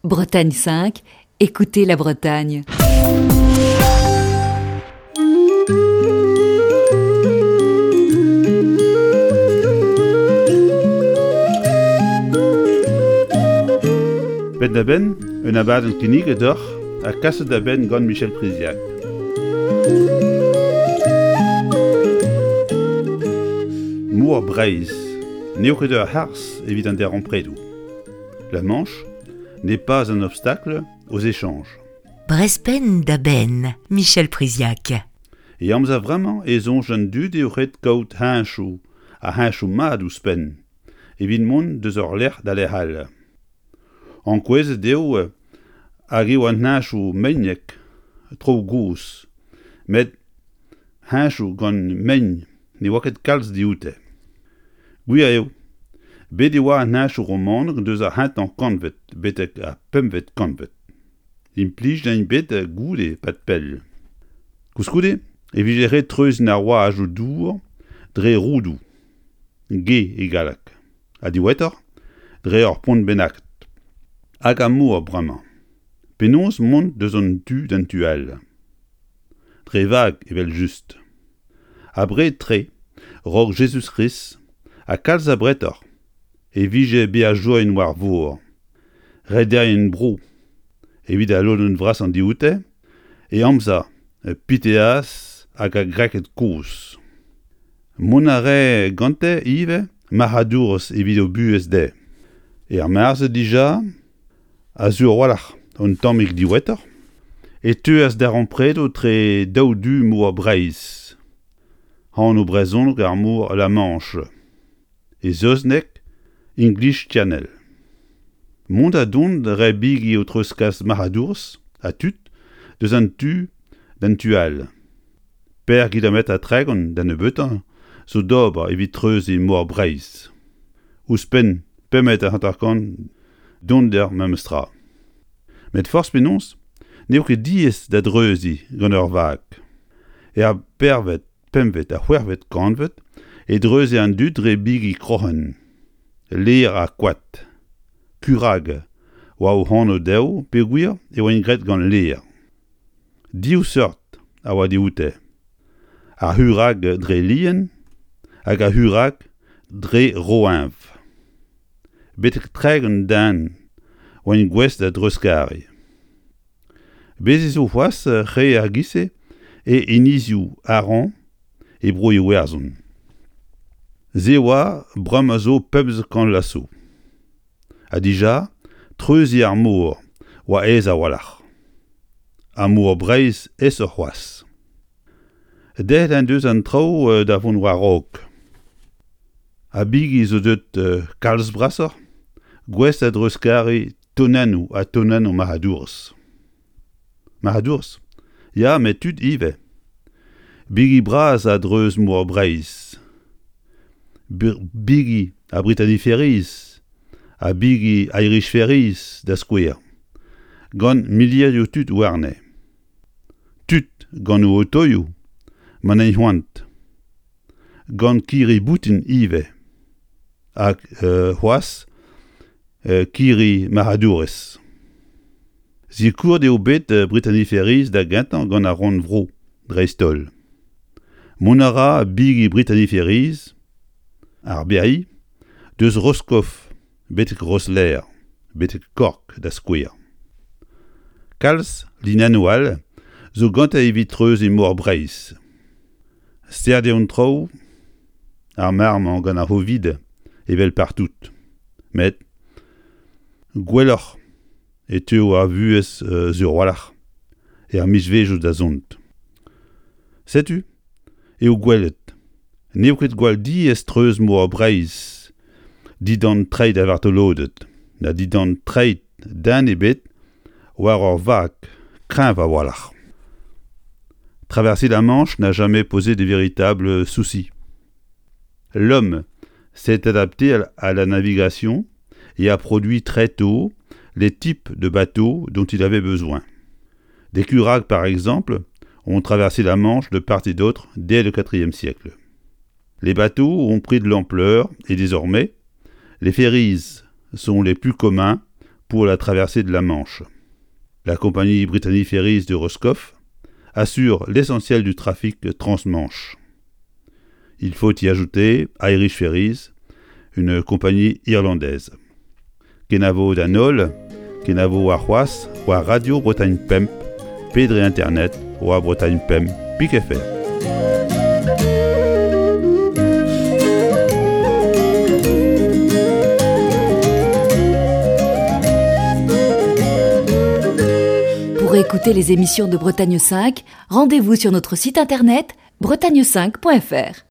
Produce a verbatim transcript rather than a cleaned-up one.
Bretagne cinq, écoutez la Bretagne. Penn da-benn, un abadenn kinniget deoc'h ha kaset da benn gant Michel Priziac. Mor Breizh n'eo ket ur harz evit an darempredoù. La Manche n'est pas un obstacle aux échanges. Brezh penn da benn, Michel Priziac. E amzer vremañ e soñj an dud eo ret kaout heñchoù ha heñchoù mat ouzhpenn evit mont deus ur lec'h da lec'h all. Ankouezet eo hag eo an heñchoù meinek traoù gozh, met heñchoù gant mein ne oa ket kalz dioute. Gwir eo, bet e oa an heñchoù romanek deus ar c'hentañ kantved betek ar pempvet kantved. Implijet int bet goude 'pad pell. Koulskoude e vije ret treuziñ ar wazoù dour dre roudoù, gé e galleg, ha diwezhatoc'h dre ur pont bennaket. Hag ar mor bremañ. Penaos mont deus an tu d'an tu all ? Dre vag evel-just. Abred-tre, 'raok Jezuz-Krist, ha kalz abretoc'h, e vije beajourien war vor, rederien-bro, evit al lodenn vrasañ dioute, e amzer Piteaz hag ar Greked kozh. Mont a rae gante ivez marc'hadourezh evit o buhez dezhe. Er mare-se dija, ha sur a-walc'h un tammig diwezhatoc'h, e teuas darempredoù etre daou du mor Breizh, anv brezhonek ar mor La Manche, e saozneg English Channel. Mont ha dont a rae bigi o treuzkas marc'hadourezh ha tud deus an tu d'an tu all. Pemp kilometr ha tregont da nebeutañ zo d'ober evit treuziñ mor Breizh. Ouzhpenn pemp metr hanter-kant donder memes tra. Met forzh penaos n'eo ket diaes da dreuziñ gant ur vag. Er pervet, pempvet ha c'hwec'hvet kantved e dreuze an dud dre bigi kroc'hen, lêr ha koad. Kurag oa o anv dezho peogwir e oant graet gant lêr. Div seurt a oa dioute, ar c'hurag dre lien hag ar c'hurag dre roeñv. Betek tregont den oant gouest da dreuzkariñ. Bez' ez zo c'hoazh re ar giz-se e enezioù Aran e Bro-Iwerzhon. Se oa bremañ zo pemzek kant vloaz zo. Ha dija, treuziñ ar mor oa aes a-walc'h. Ha mor Breizh aesoc'h c'hoazh. Deuet en deus an traoù da vont war-raok. Ha bigi zo deuet kalz brasoc'h, gouest da dreuzkariñ tonennoù ha tonennoù marc'hadourezh. Marc'hadourezh ? Ya, met tud ivez. Bigi bras a-dreuz mor Breizh. Bigi a Brittany Ferries ha bigi Irish Ferries da skouer, gant milierioù tud warne. Tud gant o otoioù ma n'int c'hoant. Gant kirri-boutin ivez. Hag c'hoazh kirri marc'hadourezh. Sikouret eo bet Brittany Ferries da gentañ gant ar rannvro dreist-holl. Mont a ra bigi Brittany Ferries, ar Berry, deus Roscoff betek Rosslare, betek Cork da skouer. Kalz linennoù all zo gante evit treuziñ mor Breizh. Start eo an traoù ar mare-mañ gant ar C'hovid evel partout. Met gwelloc'h e teuo ar vuhez sur a-walc'h er mizvezhioù da zont. Setu eo gwelet n'eo ket gwall diaes treuz mor Breizh dindan treid ar vartoloded na dindan treid den ebet war ur vag kreñv a-walc'h. Traverser la Manche n'a jamais posé de véritables soucis. L'homme s'est adapté à la navigation et a produit très tôt les types de bateaux dont il avait besoin. Des curaghes par exemple ont traversé la Manche de part et d'autre dès le quatrième siècle. Les bateaux ont pris de l'ampleur et désormais, les ferries sont les plus communs pour la traversée de la Manche. La compagnie Brittany Ferries de Roscoff assure l'essentiel du trafic transmanche. Il faut y ajouter Irish Ferries, une compagnie irlandaise. Kenavo d'an holl, kenavo warc'hoazh, war Radio Bretagne Pemp, pe dre internet, war Bretagne Pemp, pik F R. Pour écouter les émissions de Bretagne cinq, rendez-vous sur notre site internet bretagne cinq point F R.